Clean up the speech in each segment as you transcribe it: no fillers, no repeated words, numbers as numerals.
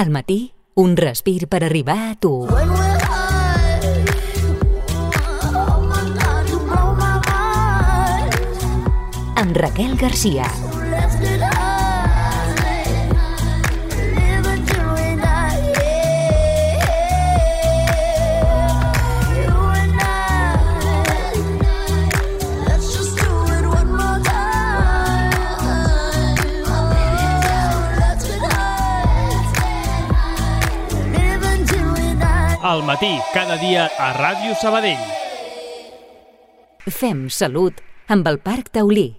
Al matí, un respir per arribar a tu. Amb Raquel Garcia. Al matí, cada dia a Ràdio Sabadell. Fem salut amb el Parc Taulí.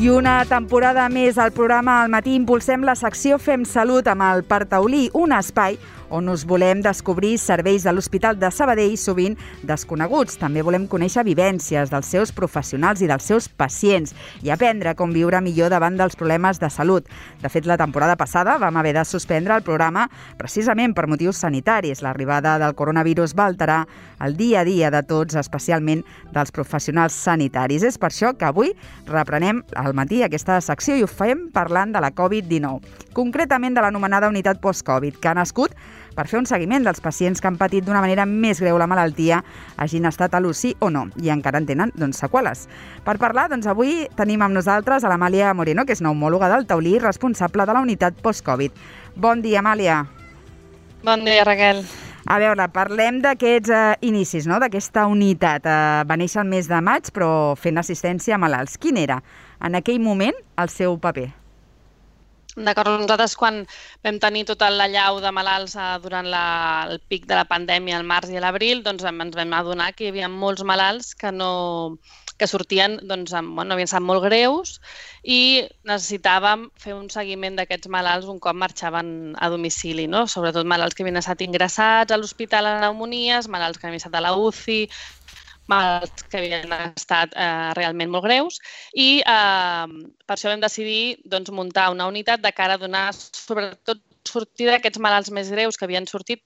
I una temporada més al programa Al matí impulsem la secció Fem Salut amb el Parc Taulí, un espai on us volem descobrir serveis de l'Hospital de Sabadell sovint desconeguts. També volem conèixer vivències dels seus professionals i dels seus pacients i aprendre com viure millor davant dels problemes de salut. De fet, la temporada passada vam haver de suspendre el programa precisament per motius sanitaris. L'arribada del coronavirus va alterar el dia a dia de tots, especialment dels professionals sanitaris. És per això que avui reprenem al matí aquesta secció i ho fem parlant de la Covid-19, concretament de l'anomenada unitat post-Covid, que ha nascut per fer un seguiment dels pacients que han patit d'una manera més greu la malaltia, hagin estat a l'UCI o no, i encara en tenen seqüeles. Per parlar, avui tenim amb nosaltres a l'Amàlia Moreno, que és neumòloga del Taulí, responsable de la unitat post-Covid. Bon dia, Amàlia. Bon dia, Raquel. A veure, parlem d'aquests inicis, no?, d'aquesta unitat. Va néixer el mes de maig, però fent assistència a malalts. Quin era, en aquell moment, el seu paper? D'acord, nosaltres quan vam tenir tota l'allau de malalts durant el pic de la pandèmia al març i a l'abril, ens vam adonar que hi havia molts malalts que sortien, havien estat molt greus i necessitàvem fer un seguiment d'aquests malalts un cop marxaven a domicili, no? Sobretot malalts que havien estat ingressats a l'hospital a pneumonies, malalts que havien estat a la UCI, malalts que havien estat realment molt greus i per això vam decidir muntar una unitat de cara a donar sobretot sortida d'aquests malalts més greus que havien sortit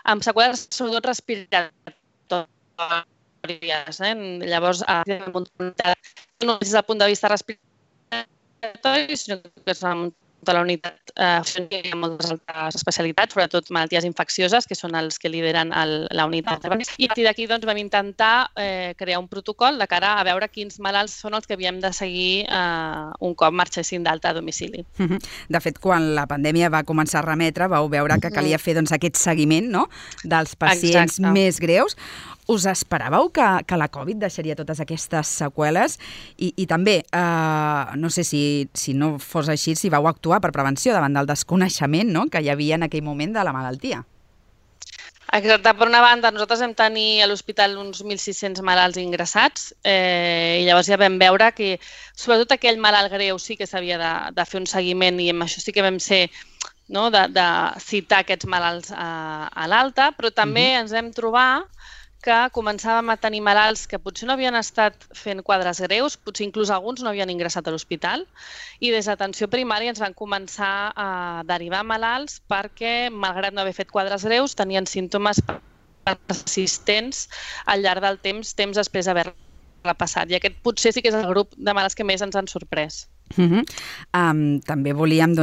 amb seqüeles sobretot respiratòries. Llavors, no des del punt de vista respiratori, sinó que és de la unitat hi ha moltes altres especialitats, sobretot malalties infeccioses, que són els que lideren la unitat. I a partir d'aquí vam intentar crear un protocol de cara a veure quins malalts són els que havíem de seguir un cop marxessin d'alta a domicili. De fet, quan la pandèmia va començar a remetre, vau veure que calia fer aquest seguiment, no?, dels pacients més greus. Us esperàveu que la Covid deixaria totes aquestes seqüeles? I també, no sé si no fos així, si vau actuar per prevenció davant del desconeixement, no?, que hi havia en aquell moment de la malaltia. Exacte. Per una banda, nosaltres vam tenir a l'hospital uns 1.600 malalts ingressats i llavors ja vam veure que sobretot aquell malalt greu sí que s'havia de fer un seguiment i amb això sí que vam ser de citar aquests malalts a l'alta, però també ens vam trobar que començàvem a tenir malalts que potser no havien estat fent quadres greus, potser inclús alguns no havien ingressat a l'hospital, i des d'atenció primària ens van començar a derivar malalts perquè, malgrat no haver fet quadres greus, tenien símptomes persistents al llarg del temps després d'haver-la passat. I aquest potser sí que és el grup de malalts que més ens han sorprès. També volíem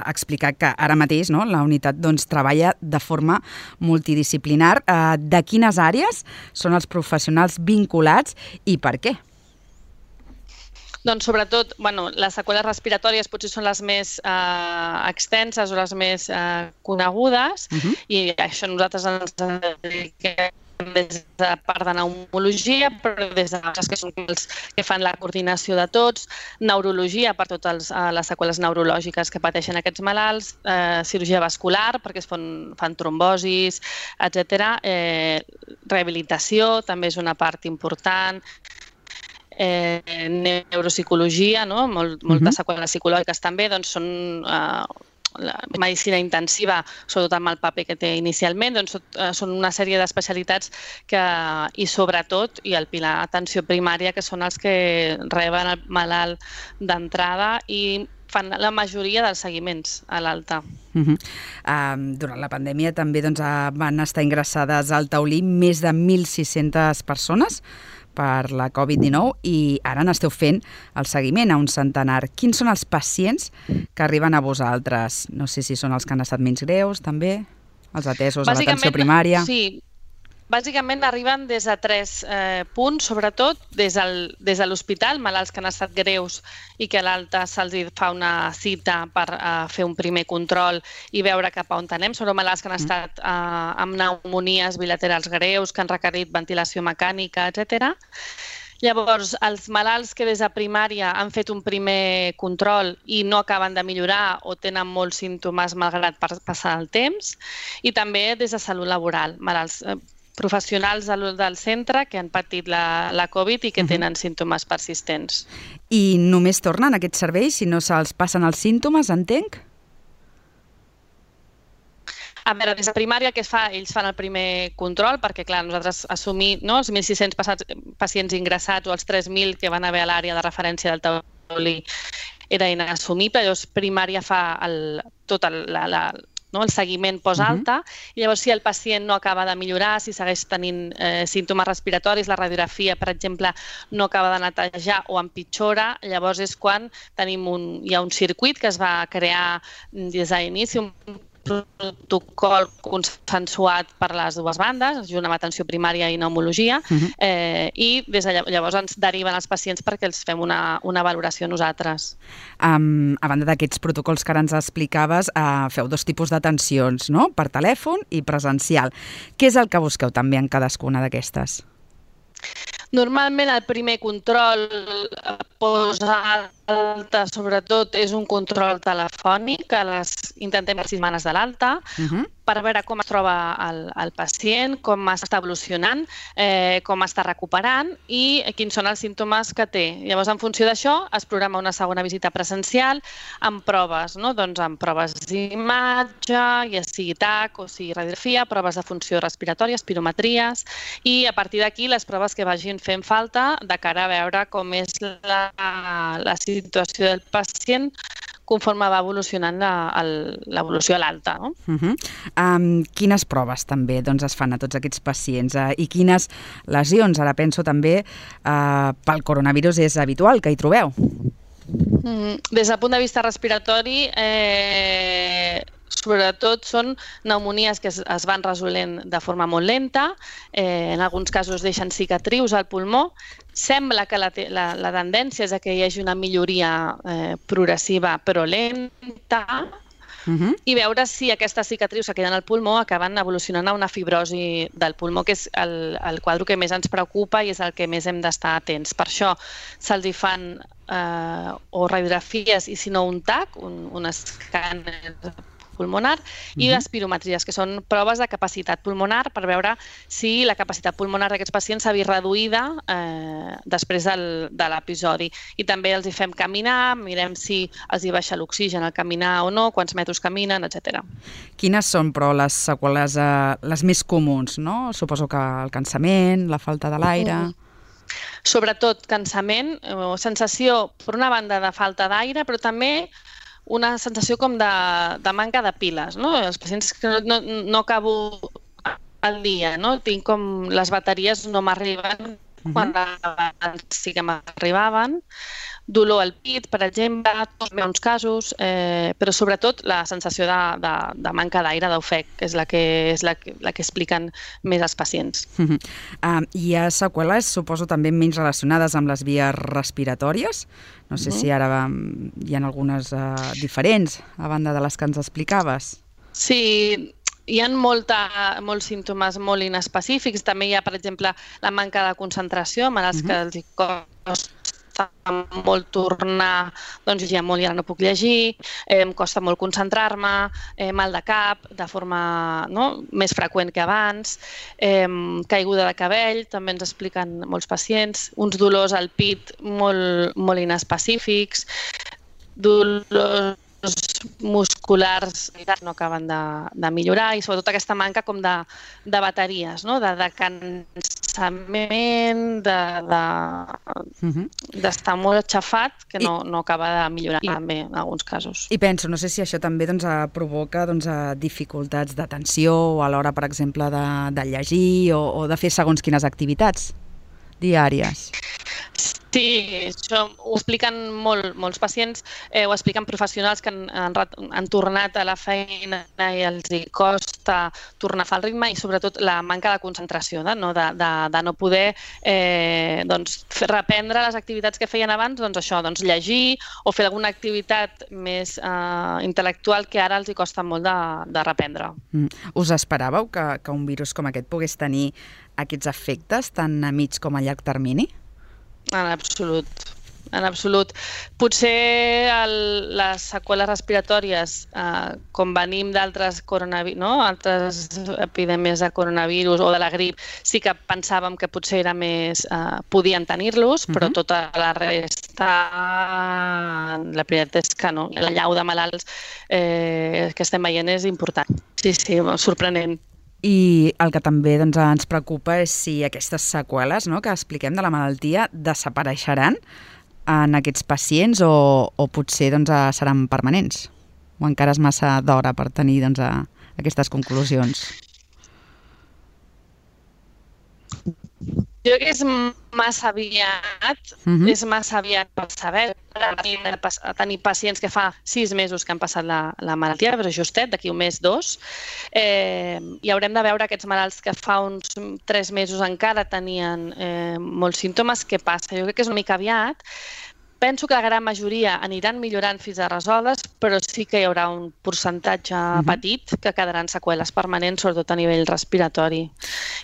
explicar que ara mateix la unitat treballa de forma multidisciplinar. De quines àrees són els professionals vinculats i per què? Doncs sobretot, les seqüeles respiratòries potser són les més extenses o les més conegudes i això nosaltres ens dediquem des de part de pneumologia, però des d'altres que són els que fan la coordinació de tots, neurologia per totes les seqüeles neurològiques que pateixen aquests malalts, cirurgia vascular perquè es fan trombosis, etc. Rehabilitació també és una part important, Neuropsicologia, no? Moltes seqüeles psicològiques també, doncs són la medicina intensiva, sobretot amb el paper que té inicialment, doncs són una sèrie d'especialitats i sobretot, i el pilar atenció primària, que són els que reben el malalt d'entrada i fan la majoria dels seguiments a l'alta. Durant la pandèmia també van estar ingressades al taulí més de 1.600 persones per la Covid-19 i ara n'esteu fent el seguiment a un centenar. Quins són els pacients que arriben a vosaltres? No sé si són els que han estat menys greus, també, els atesos a l'atenció primària. Sí, bàsicament arriben des de 3 punts, sobretot des de l'hospital, malalts que han estat greus i que a l'alta se'ls fa una cita per fer un primer control i veure cap a on anem. Són malalts que han estat amb pneumonies bilaterals greus, que han requerit ventilació mecànica, etc. Llavors, els malalts que des de primària han fet un primer control i no acaben de millorar o tenen molts símptomes malgrat passar el temps, i també des de salut laboral, malalts professionals del centre que han patit la Covid i que tenen símptomes persistents. I només tornen aquests serveis si no se'ls passen els símptomes, entenc? A veure, des de primària que es fa? Ells fan el primer control perquè, clar, nosaltres assumir els 1.600 pacients ingressats o els 3.000 que van haver a l'àrea de referència del taulí era inassumible. Llavors, primària fa tot el seguiment post-alta, i llavors si el pacient no acaba de millorar, si segueix tenint símptomes respiratoris, la radiografia, per exemple, no acaba de netejar o empitjora, llavors és quan hi ha un circuit que es va crear des de l'inici, un protocol consensuat per les dues bandes, junt amb atenció primària i pneumologia, i des de llavors ens deriven els pacients perquè els fem una valoració nosaltres. A banda d'aquests protocols que ara ens explicaves, feu 2 tipus d'atencions, no? Per telèfon i presencial. Què és el que busqueu també en cadascuna d'aquestes? Normalment el primer control post-alta, sobretot, és un control telefònic que intentem les 6 setmanes de l'alta per veure com es troba el pacient, com està evolucionant, com està recuperant i quins són els símptomes que té. Llavors, en funció d'això, es programa una segona visita presencial amb proves, doncs amb proves d'imatge, ja sigui TAC o sigui radiografia, proves de funció respiratòria, espirometries, i a partir d'aquí les proves que vagin fent falta de cara a veure com és la situació del pacient conforme va evolucionant l'evolució a l'alta. Quines proves també es fan a tots aquests pacients i quines lesions? Ara penso també pel coronavirus és habitual que hi trobeu. Des del punt de vista respiratori, sobretot són pneumonies que es van resolent de forma molt lenta, en alguns casos deixen cicatrius al pulmó. Sembla que la tendència és que hi hagi una milloria progressiva però lenta i veure si aquestes cicatrius que queden al pulmó acaben evolucionant a una fibrosi del pulmó, que és el quadre que més ens preocupa i és el que més hem d'estar atents. Per això se'ls hi fan o radiografies i si no un TAC, un escàner pulmonar, i espirometries, que són proves de capacitat pulmonar per veure si la capacitat pulmonar d'aquests pacients s'ha vist reduïda després de l'episodi. I també els hi fem caminar, mirem si els hi baixa l'oxigen al caminar o no, quants metres caminen, etc. Quines són, però, les seqüeles les més comuns, no? Suposo que el cansament, la falta de l'aire... Sobretot cansament, sensació, per una banda, de falta d'aire, però també una sensació com de manca de piles, no? Els pacients que no acabo el dia, no? Tinc com les bateries no m'arriben quan abans sí que m'arribaven. Dolor al pit, per exemple, en uns casos, però sobretot la sensació de manca d'aire, d'ofec, és la que expliquen més els pacients. Hi ha seqüeles, suposo, també menys relacionades amb les vies respiratòries? No sé si ara hi ha algunes diferents, a banda de les que ens explicaves. Sí, hi ha molts símptomes molt inespecífics. També hi ha, per exemple, la manca de concentració, malalts que els costa costa molt tornar, doncs llegia molt i ara no puc llegir, em costa molt concentrar-me, mal de cap, de forma més freqüent que abans, caiguda de cabell, també ens expliquen molts pacients, uns dolors al pit molt inespecífics, dolors musculars no acaben de millorar i sobretot aquesta manca com de bateries, de cansament, d'estar molt aixafat que no acaba de millorar també en alguns casos. I penso, no sé si això també provoca dificultats d'atenció o a l'hora, per exemple, de llegir o de fer segons quines activitats diàries. Sí, això ho expliquen molts pacients, ho expliquen professionals que han tornat a la feina i els costa tornar a fer el ritme i sobretot la manca de concentració, de no poder reprendre les activitats que feien abans, llegir o fer alguna activitat més intel·lectual que ara els costa molt de reprendre. Us esperàveu que un virus com aquest pogués tenir aquests efectes tant a mig com a llarg termini? En absolut. Potser les seqüeles respiratòries, com venim d'altres altres epidèmies de coronavirus o de la grip, sí que pensàvem que potser era més podien tenir-los, però tota la resta, la veritat és que no. La llau de malalts que estem veient és important. Sí, sorprenent. I el que també ens preocupa és si aquestes seqüeles que expliquem de la malaltia desapareixeran en aquests pacients o potser seran permanents. O encara és massa d'hora per tenir aquestes conclusions. Jo crec que és massa aviat per saber. Tenir pacients que fa 6 mesos que han passat la malaltia, però justet, d'aquí un mes, 2, i haurem de veure aquests malalts que fa uns 3 mesos encara tenien molts símptomes, què passa? Jo crec que és una mica aviat. Penso que la gran majoria aniran millorant fins a resoldre's, però sí que hi haurà un percentatge petit que quedaran seqüeles permanents, sobretot a nivell respiratori.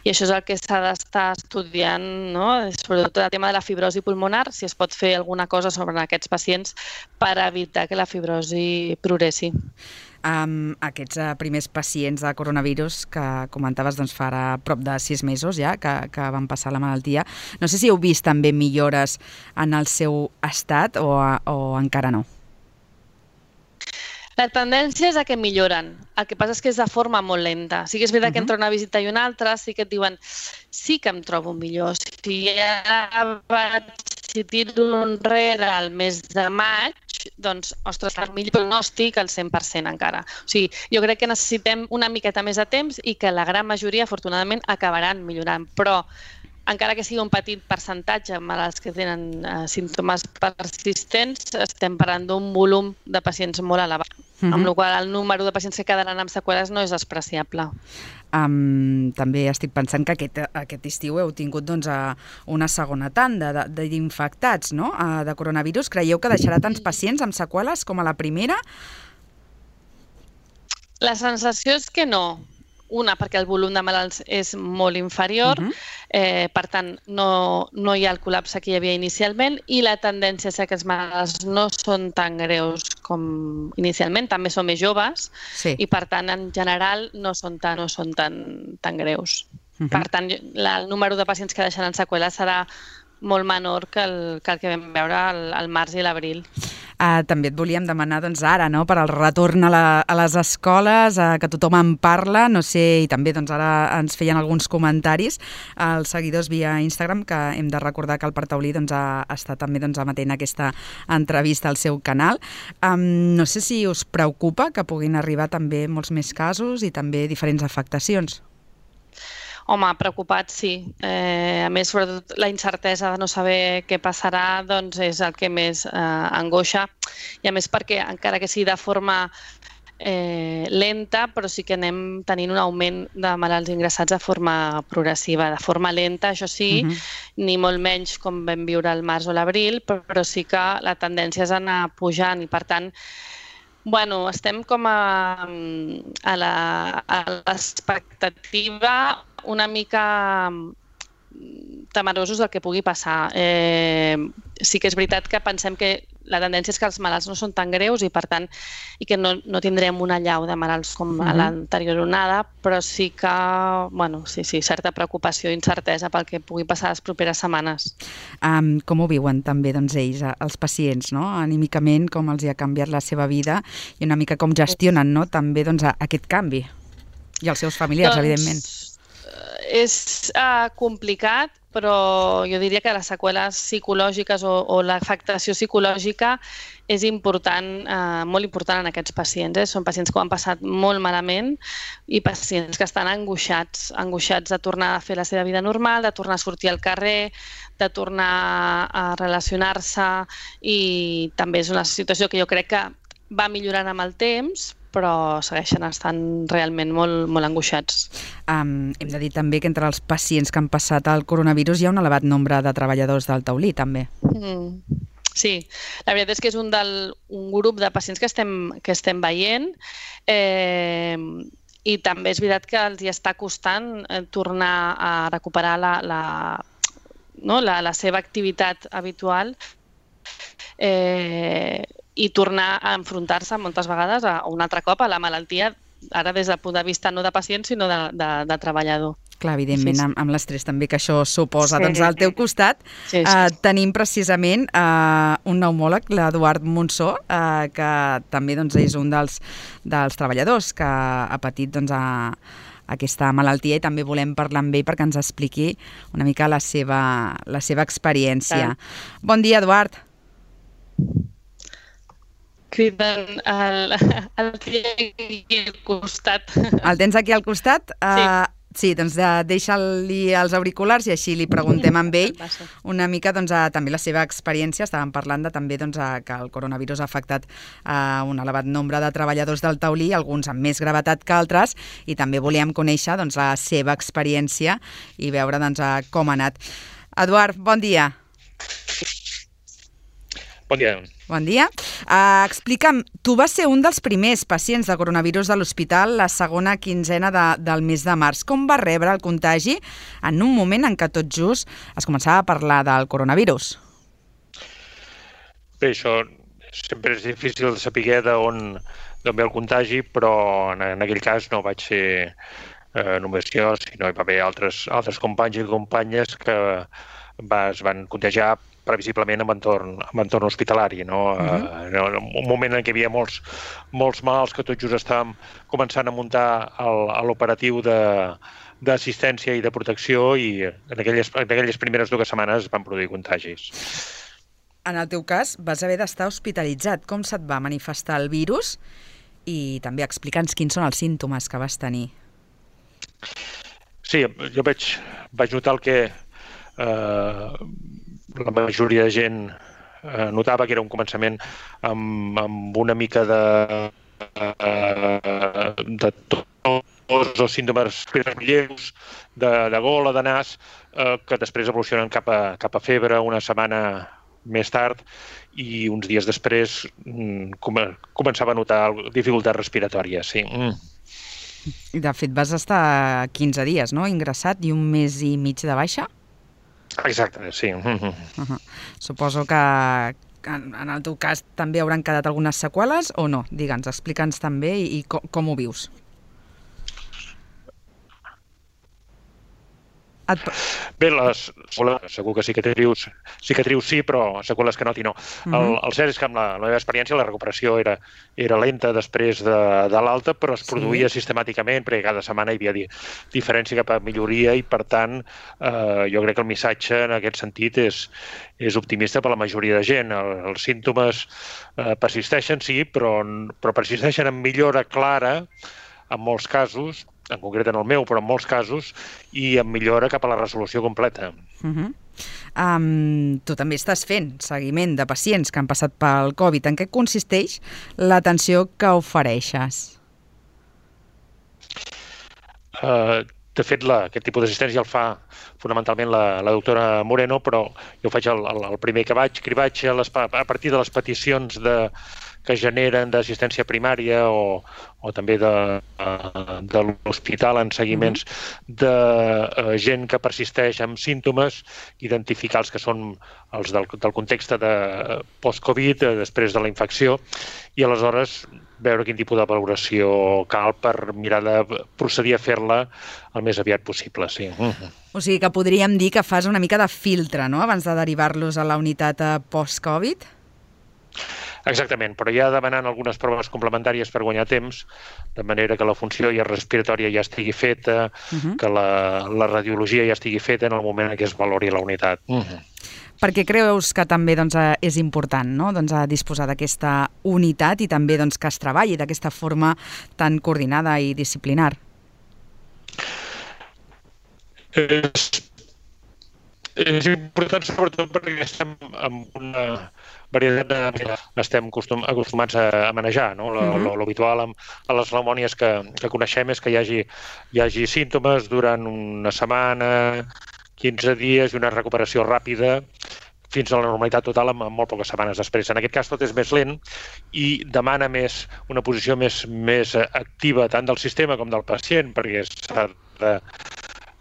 I això és el que s'ha d'estar estudiant, sobretot el tema de la fibrosi pulmonar, si es pot fer alguna cosa sobre aquests pacients per evitar que la fibrosi progressi. Aquests primers pacients de coronavirus que comentaves farà prop de 6 mesos ja que van passar la malaltia. No sé si heu vist també millores en el seu estat o encara no. La tendència és a que milloren. El que passa és que és de forma molt lenta. Sí que és veritat que entre una visita i una altra sí que et diuen sí que em trobo millor. Si tiro enrere el mes de maig, doncs, ostres, el millor pronòstic al 100% encara. O sigui, jo crec que necessitem una miqueta més de temps i que la gran majoria, afortunadament, acabaran millorant. Però, encara que sigui un petit percentatge malalts que tenen símptomes persistents, estem parlant d'un volum de pacients molt elevat. Amb la qual cosa el número de pacients que quedaran amb seqüeles no és despreciable. També estic pensant que aquest estiu heu tingut una segona tanda d'infectats de coronavirus. Creieu que deixarà tants pacients amb seqüeles com a la primera? La sensació és que no. Una, perquè el volum de malalts és molt inferior, per tant, no hi ha el col·lapse que hi havia inicialment i la tendència és que els malalts no són tan greus com inicialment, també són més joves i, per tant, en general no són tan greus. Per tant, el número de pacients que deixaran seqüeles serà molt menor que el que vam veure al març i l'abril. També et volíem demanar ara per al retorn a les escoles, que tothom en parla, no sé, i també ara ens feien alguns comentaris als seguidors via Instagram, que hem de recordar que el Parc Taulí està també emetent aquesta entrevista al seu canal. No sé si us preocupa que puguin arribar també molts més casos i també diferents afectacions. Home, preocupat sí. A més, sobretot la incertesa de no saber què passarà és el que més angoixa. I a més perquè, encara que sigui de forma lenta, però sí que anem tenint un augment de malalts ingressats de forma progressiva. De forma lenta, això sí, ni molt menys com vam viure al març o l'abril, però sí que la tendència és anar pujant i, per tant, estem com a l'expectativa una mica temerosos del que pugui passar. Sí que és veritat que pensem que la tendència és que els malalts no són tan greus i, per tant, i que no tindrem una allau de malalts com a l'anterior onada, però sí que, sí, certa preocupació i incertesa pel que pugui passar les properes setmanes. Com ho viuen també, doncs, ells, els pacients, no? Anímicament, com els ha canviat la seva vida i una mica com gestionen, no? També, doncs, aquest canvi. I els seus familiars, evidentment. És complicat, però jo diria que les seqüeles psicològiques o l'afectació psicològica és important, molt important en aquests pacients. Són pacients que ho han passat molt malament i pacients que estan angoixats de tornar a fer la seva vida normal, de tornar a sortir al carrer, de tornar a relacionar-se, i també és una situació que jo crec que va millorant amb el temps, però segueixen estant realment molt, molt angoixats. Hem de dir també que entre els pacients que han passat el coronavirus hi ha un elevat nombre de treballadors del taulí, també. Sí, la veritat és que és un grup de pacients que estem veient, i també és veritat que els hi està costant tornar a recuperar la seva activitat habitual, i tornar a enfrontar-se moltes vegades un altre cop a la malaltia, ara des del punt de vista no de pacient, sinó de treballador. Clar, evidentment, amb l'estrès també que això suposa. Doncs al teu costat tenim precisament un pneumòleg, l'Eduard Monsó, que també és un dels treballadors que ha patit aquesta malaltia, i també volem parlar amb ell perquè ens expliqui una mica la seva experiència. Bon dia, Eduard. Criden el aquí al costat. El tens aquí al costat? Sí. Sí, doncs deixa-li els auriculars i així li preguntem amb ell una mica també la seva experiència. Estàvem parlant també que el coronavirus ha afectat un elevat nombre de treballadors del taulí, alguns amb més gravetat que altres, i també volíem conèixer la seva experiència i veure com ha anat. Eduard, bon dia. Bon dia. Bon dia. Explica'm, tu vas ser un dels primers pacients de coronavirus de l'hospital la segona quinzena del mes de març. Com va rebre el contagi en un moment en què tot just es començava a parlar del coronavirus? Bé, això sempre és difícil de saber d'on ve el contagi, però en aquell cas no vaig ser només jo, sinó hi va haver altres companys i companyes que es van contagiar previsiblement en entorn hospitalari. En un moment en què hi havia molts malalts que tot just estàvem començant a muntar l'operatiu d'assistència i de protecció, i en aquelles primeres 2 setmanes van produir contagis. En el teu cas vas haver d'estar hospitalitzat. Com se't va manifestar el virus? I també explica'ns quins són els símptomes que vas tenir. Sí, jo vaig notar el que la majoria de gent notava, que era un començament amb una mica de tos o símptomes lleus, de gola, de nas, que després evolucionen cap a febre una setmana més tard, i uns dies després començava a notar dificultats respiratòries, sí. De fet, vas estar 15 dies, no?, ingressat, i 1 mes i mig de baixa? Exacte, sí. Suposo que en el teu cas també hauran quedat algunes seqüeles o no? Digue'ns, explica'ns també i com ho vius. Bé, les segur que cicatrius sí, però seqüeles que noti no. El cert és que amb la meva experiència la recuperació era lenta després de l'alta, però es produïa sistemàticament, perquè cada setmana hi havia diferència cap a milloria, i per tant jo crec que el missatge en aquest sentit és optimista per la majoria de gent. Els símptomes persisteixen, sí, però persisteixen amb millora clara en molts casos, en concret en el meu, però en molts casos, i amb millora cap a la resolució completa. Tu també estàs fent seguiment de pacients que han passat pel Covid. En què consisteix l'atenció que ofereixes? De fet, aquest tipus d'assistència el fa fonamentalment la doctora Moreno, però jo faig el primer que vaig a partir de les peticions que generen d'assistència primària o també de l'hospital en seguiments de gent que persisteix amb símptomes, identificar els que són els del context de post-Covid, després de la infecció, i aleshores veure quin tipus de valoració cal per mirar de procedir a fer-la el més aviat possible, sí. O sigui que podríem dir que fas una mica de filtre, no?, abans de derivar-los a la unitat post-Covid? Exactament, però ja demanant algunes proves complementàries per guanyar temps, de manera que la funció respiratòria ja estigui feta, que la radiologia ja estigui feta en el moment en què es valori la unitat. Per què creus que també és important, no?, disposar d'aquesta unitat i també que es treballi d'aquesta forma tan coordinada i disciplinar? És important sobretot perquè estem en una varietat estem acostumats a manejar, no? L'habitual a les pneumònies que coneixem és que hi hagi símptomes durant una setmana, 15 dies i una recuperació ràpida fins a la normalitat total amb molt poques setmanes després. En aquest cas tot és més lent i demana una posició més activa tant del sistema com del pacient, perquè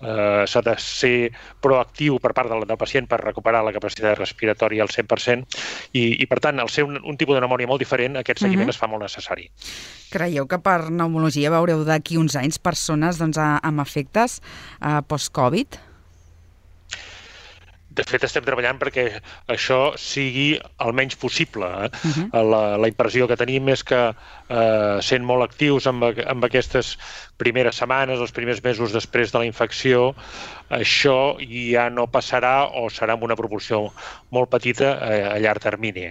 s'ha de ser proactiu per part del pacient per recuperar la capacitat respiratòria al 100% i per tant, al ser un tipus de pneumònia molt diferent, aquest seguiment es fa molt necessari. Creieu que per pneumologia veureu d'aquí uns anys persones amb efectes post-Covid? De fet, estem treballant perquè això sigui el menys possible. La impressió que tenim és que sent molt actius amb aquestes primeres setmanes, els primers mesos després de la infecció, això ja no passarà o serà en una proporció molt petita a llarg termini.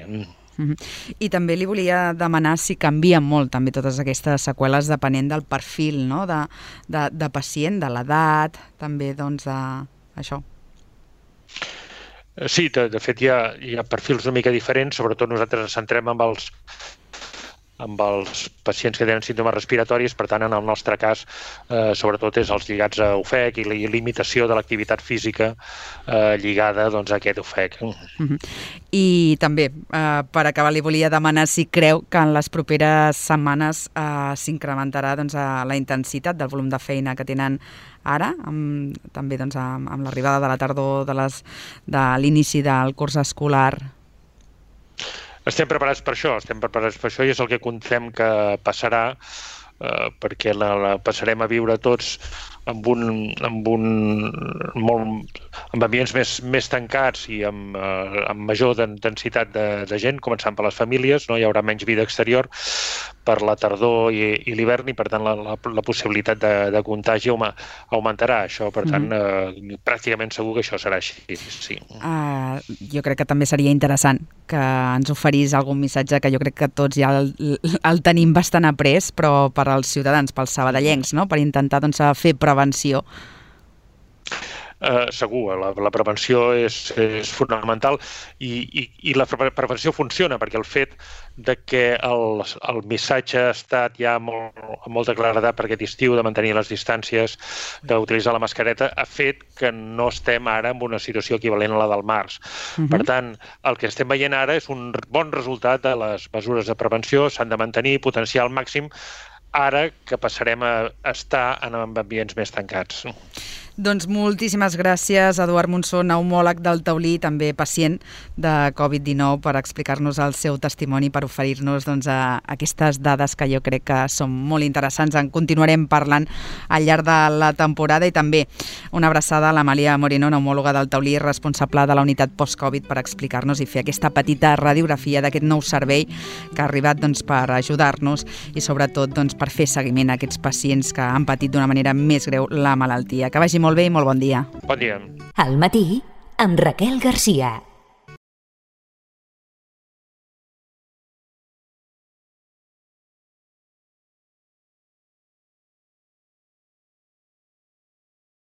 I també li volia demanar si canvien molt també totes aquestes seqüeles depenent del perfil, no?, de pacient, de l'edat, també d'això. Sí, de fet hi ha perfils una mica diferents, sobretot nosaltres ens centrem amb els pacients que tenen símptomes respiratoris, per tant, en el nostre cas, sobretot és els lligats a ofec i limitació de l'activitat física lligada a aquest ofec. I també, per acabar, li volia demanar si creu que en les properes setmanes s'incrementarà la intensitat del volum de feina que tenen ara, també amb l'arribada de la tardor de l'inici del curs escolar. Estem preparats per això i és el que contem que passarà, perquè la passarem a viure tots amb ambients més tancats i amb major densitat de gent, començant per les famílies, no hi haurà menys vida exterior per la tardor i l'hivern i, per tant, la possibilitat de contagi augmentarà. Això, per tant, pràcticament segur que això serà així, sí. Jo crec que també seria interessant que ens oferís algun missatge que jo crec que tots ja el tenim bastant après, però per als ciutadans, pels sabadellencs, no?, per intentar fer prevenció. Segur, la prevenció és fonamental i la prevenció funciona perquè el fet de que el missatge ha estat ja amb molta claredat per aquest estiu de mantenir les distàncies, d'utilitzar la mascareta, ha fet que no estem ara en una situació equivalent a la del març. Per tant, el que estem veient ara és un bon resultat de les mesures de prevenció, s'han de mantenir, potenciar al màxim, ara que passarem a estar en ambients més tancats. Doncs moltíssimes gràcies, Eduard Monsó, pneumòleg del Taulí, també pacient de Covid-19, per explicar-nos el seu testimoni, per oferir-nos aquestes dades que jo crec que són molt interessants. En continuarem parlant al llarg de la temporada i també una abraçada a l'Amàlia Moreno, pneumòloga del Taulí, responsable de la unitat post-Covid, per explicar-nos i fer aquesta petita radiografia d'aquest nou servei que ha arribat per ajudar-nos i sobretot per fer seguiment a aquests pacients que han patit d'una manera més greu la malaltia. Que vagi molt bé i molt bon dia. Bon dia. Al matí, amb Raquel Garcia.